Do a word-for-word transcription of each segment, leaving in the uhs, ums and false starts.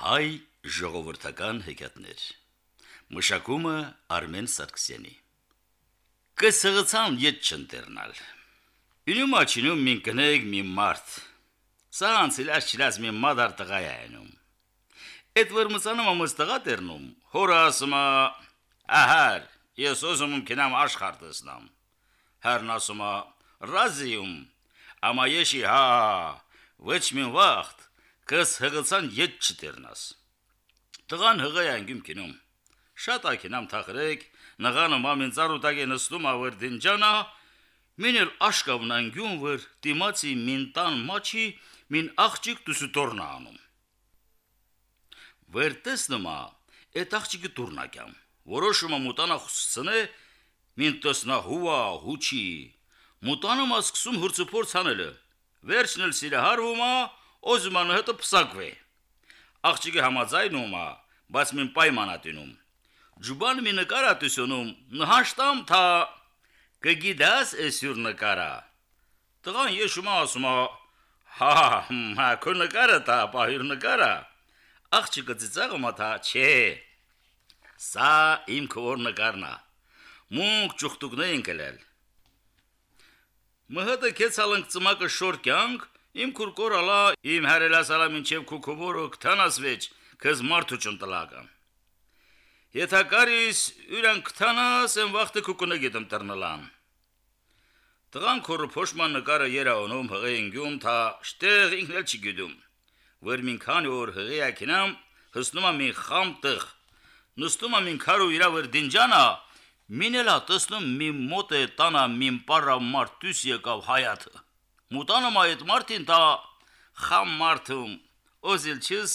Հայ ժողովրդական հեքիաթներ։ Մշակումը Արմեն Սարգսյանի։ Կսղցան ետ չընտերնալ։ Ինում աչինում մին կնեգ մի մարդ։ Սա անցիլաշ չլաս մի մադար տղայ այնում։ Էդ վրմծանում ամս տղա տերնում, հորը ասումա, ահար, ես ոզում ում կենամ աշխար տեսնամ։ Հերն ասումա, ռազիում, ամա եշի հա, ոչ մին վաղթ, կս հղցան ետ չտերնաս։ Տղան հղայ անգում կինում։ Շատ ակինամ թախրեք, նղանը մամին ծարուտակ է նստում ավր դինջանա, մին էլ աշկավն անգում վր տիմացի մին տան մաչի մին աղջիկ տուսուտորնա անում։ Վեր տեսնումա, էտ աղջիկը տուրնակյամ, որոշումը մուտանա խուսցնե, մին տեսնա հուա, հուչի, մուտանում ասկսում հուրցուպոր ցանելը, վերջն էլ սիրը հարվումա, օզմանը հետը պսակվե։ Աղջիկը համաձայնումա, բայց մին պայմանատինում։ Ջուբան մի նկարատուսոնում, նհաշտամ թա կգիդաս էսյուր նկարա։ Տղան եշումա ասումա, հա, հա, քո նկարը թա, պահիր նկարա։ Աղջիկը ծիծաղումա թա, չէ, սա իմ քոր նկարնա, մունք ճուխտուկն է ինկելել։ Մհդը կեցալնք ծմակը շոր կյանք, իմ քուրկոր ալա, իմ հարելասալա մինչև քուքուբորը կթանասվեջ, կզ մարդու ճնտլակա։ Եթակարիս յուրան կթանաս են վաղթը քուկունը գետում տրնլան։ Տղան քորը փոշման նկարը երաոնում հղեինգյում թա շտեղ ինքնել չի գյուդում, վր մին քանի որ հղեակինամ հսնումա մին խամ տղ, նստումա մին քարու իրա վր դինջանա, մինելա տեսնում մին մոտ է տանա մին պարա մարդուս եկավ հայաթը, մուտանում այդ մարդին թա խամ մարդում, օզիլ չիս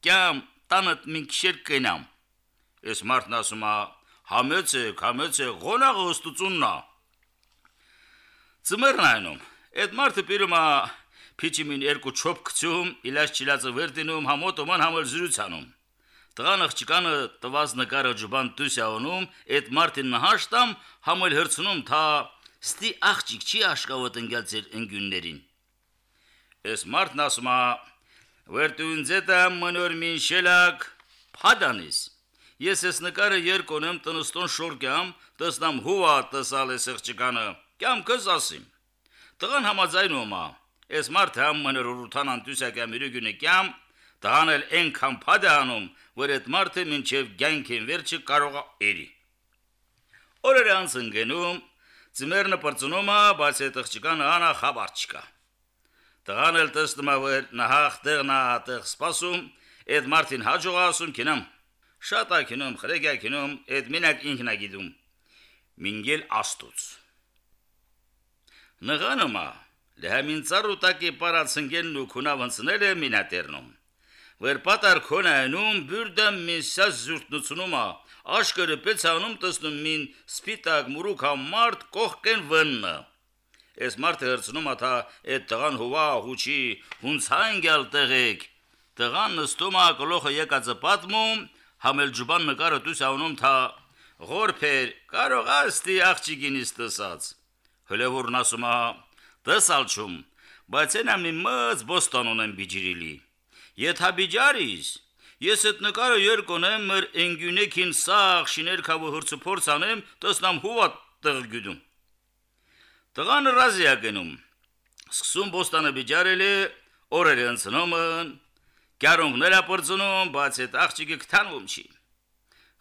կյամ տանըտ մին կշեր կենամ, ես մարդն ասումա, համեց է, համեց է, գոնաղը ոստուցուննա։ Ծմերն այնում, էդ մարդը պիրումա պիչի մին երկու չոպ կծում, իլաշ չիլացը վերդինում, համոտոման համել զրուցանում։ Տղան աղջիկանը տված նկարը ջուբան տուսյաոնում, էդ մարդին նհաշտամ, համել հրցնում, թա ստի աղջիկ չի աշկավոտ ընգյալ ձեր ընգյուններին։ Ես մարդն ասումա, վերդուն ձետա մնոր մին շելակ, պադանիս։ Ես ես նկարը երկոնեմ տնստոն շորկյամ, տեսնամ հուա տեսալ ես աղջիկանը, կյամ կզ ասիմ։ Տղան համաձայնումա, ես մարդը համ մներ ուրութան անտուսյակյամ իրուգյունի կյամ, տղան էլ ենքան պադ է անում, որ էդ մարդը մինչև գյանքին վերջը կարողա էրի։ Օրերը անց ընգենում, ծմերնը պրծունումա, բայց էդ աղջիկանը անա խաբար չկա։ Տղան էլ տեսնումա, որ նահախ տեղնա տեղ սպասում, էդ մարդին հաջողա ասում կինամ։ Շատ ակինում, խրեգյակինում, էդ մինակ ինքնա գիդում, մինգել աստուց։ Նղանումա, լհամին ծարուտակի պարացնգենն ու կունավնցնել է մինատերնում, վեր պատար քոնայնում բյուրդը մին սաս զուրտնությունումա, աշկրը պեցանում տեսնում մին սպիտակ մուրուկա մարդ կողքեն վննը։ Ես մարդը հրցնում աթա էդ տղան հուվա հուչի, հունց հանգյալ տեղեք, տղան նստումա կլոխը եկածը պատմում, համել ջուբան նկարը տուսյանում թա ғորպեր, կարող աստի աղջիկինիս տեսած։ Հլևուրն ասումա, տեսալ չում, բայց են ամի մըց բոստան ունեմ բիջիրիլի։ Ետ հաբիջարիս, ես էտ նկարը երկոնեմ մր ընգյունեքին սաղ շիներ կավը հրցը փորձանեմ, տեսնամ հուվա տղ գյուդում։ Տղանը ռազի ակենում, սկսում բոստանը բիջարել է, օրերը ընցնոմն, Գարունգները պրծնում, բայց էտ աղջիկը կթանվում չի։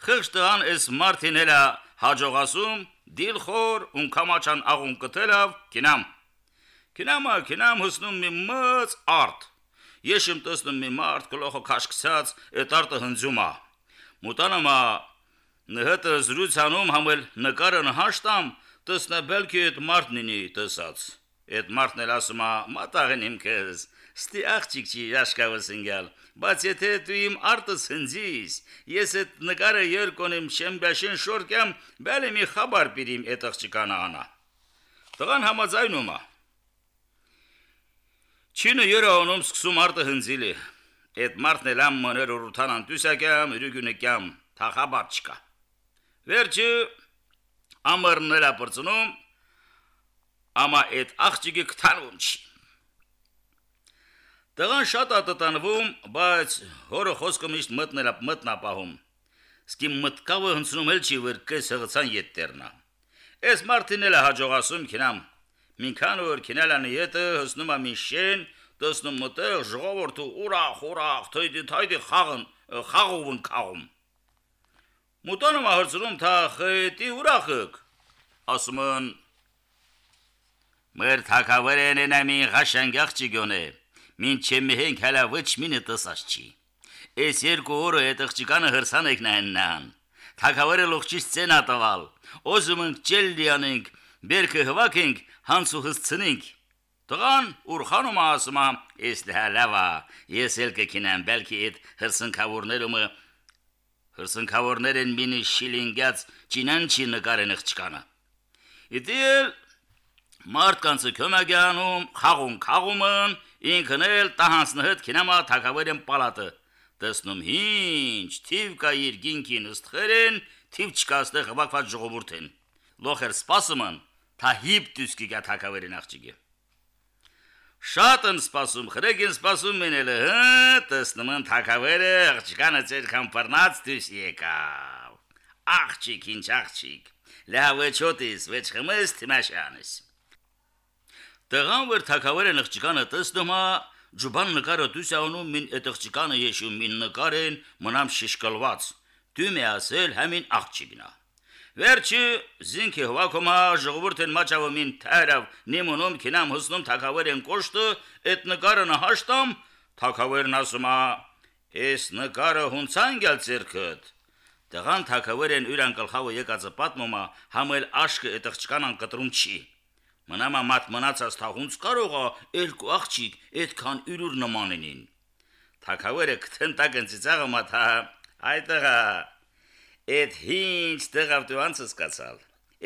Խղճ տղան ես մարդին էլա հաջողասում, դիլ խոր, ունկամաչան աղուն կտելավ, կինամ։ Կինամա, կինամ հսնում մի մծ արդ։ Եշմ տեսնում մի մարդ կլոխը կաշկցած, էտ արտը հնձումա։ Մուտանամա նհետը զրուցանում համել նկարը նհաշտամ, տեսնա բելքի էտ մարդնինի տեսած։ Էտ մարդն էլ ասումա, մատաղեն իմ կեզ, ստի աղջիկ չի աշկավս ընգյալ, բայց եթե դու իմ արտս հնձիս, ես էտ նկարը երկոնեմ շեմբյաշեն շորկյամ, բέλի մի խաբար պիրիմ էտ աղջիկանը անա։ Տղան համաձայնումա։ Չինը երաոնում սկսում արտը հնձիլի, էտ մարդն էլ ամ մներ ուրութան անտուսյակյամ, իրուգյունեկյամ, թա խաբար չկա։ Վերջը ամրն էլա պրծնում, ամա էտ աղջիկը կթանվում չի։ Տղան շատ ատտանվում, բայց հորը խոսքը միշտ մտնել մտնապահում։ Սկի մտկավը հնցնում էլ չի, որ կես հղցան ետտերնա։ Էս մարդին էլ հաջողասում քինամ։ Մինքան որ քինալանի ետը հսնում ամի շեն, տեսնում մտեղ ժողովուրդը ուրախ, ուրախ, թույդի թայդի խաղն, խաղում քաղում։ Մուտանում ահրցնում թա խետի ուրախık։ Ասում են մեր թակավերեն ենամի ղաշանգախ չգոնե։ Մինչև մենք հələ ոչ մինը տեսած չի։ Էս երկու օրը այդ աղջիկանը հրսան եք նայնան։ Թակավերը լողջից ցենա տվալ։ Ոզում ենք ճելլիանենք, բերքը հվակենք, հանցու հսցնենք։ Տղան ուրխանում ասում է, «Էս լավա, ես էլ կքինեմ, բəlkի այդ հրսնքավորները հրսնքավորներն մինի շիլինգած ճինանչի նկարեն աղջիկանը»։ Իդել մարդկանցը կոմագանում, խաղում խաղումն, ինքն էլ տահանցնը հետ քինամա թակավերեն պալատը։ Տեսնում ինչ, թիվ կա իր գինքին ըստխերեն, թիվ չկա ստեղ հվակված ժողովուրդեն։ Լոխեր սպասումն, թա հիպ դուսկի գա թակավերեն աղջիկը։ Շատ են սպասում, խրեգին սպասում մենելը, հը, տեսնում են թակավերը աղջիկանը ծեր կամպարնած դուս եկավ։ Աղջիկ, ինչ աղջիկ, լավ վեչոտիս, վեչ խմես թիմաշյանես։ Տղան որ թակավերեն աղջիկանը տեսնում է, Ջուբան նկարը դուս անում մին այդ աղջիկանը եշում մին նկարեն մնամ շիշկալված։ Դու մի ասել համին աղջիկնա։ Վերջի զինքի հվակոմա ժողովուրդեն մաչավը մին թարավ նիմոնում քինամ հսնում թակավերեն կոշտը այդ նկարը նահաշտամ թակավերն ասում է «Էս նկարը հունցան գալ ձերքդ»։ Տղան թակավերեն ուրան կլխավը եկածը պատմում է համել աշկը այդ աղջկանան կտրում չի։ Մնամա մատ մնացած թաղունց կարողա երկու աղջիկ այդքան ուրուր նմանենին։ Թակավերը կթնտակն ծիծաղը մաթա, այ տղա, այդ հինչ տղավ դու անցս կացալ,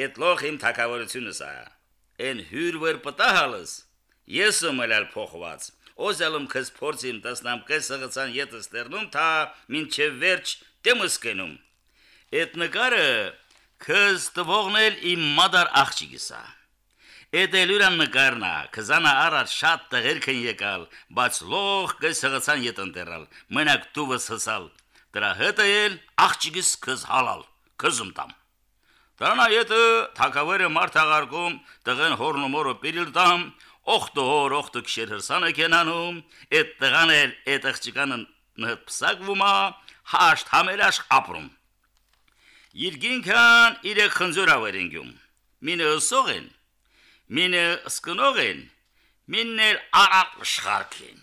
այդ լող իմ թակավերությունս ա, են հյուր վեր պտահալս, ես եմ էլ փոխված, օզալում քս փորձիմ տեսնամ կես հղցան ետս տերնում, թա մինչև վերջ դեմս կենում։ Այդ նկարը քս տվողն էլ իմ մադար աղջիկս ա։ Էդ էլուրան նկարնա, քզանա առաջ շատ տղերքն եկալ, բայց լող կես հղցան ետ ընտերալ, մենակ դուվս հսալ, դրա հետը էլ աղջիկս քզ հալալ, քզում տամ։ Դրանա ետը թակավերը մարդ աղարկում, տղեն հորնումորը պիրիլ տամ, օխտը հոր, օխտը կշեր հրսանը կենանում, էդ տղան էլ էդ աղջիկանը պսակվում ա, հաշտ համերաշ ապրում։ Իրգինքան իրեք խնձորավեր ենգյում, մինը ըսող են, մինը սկնող են, մինն էլ առակ շղարք են։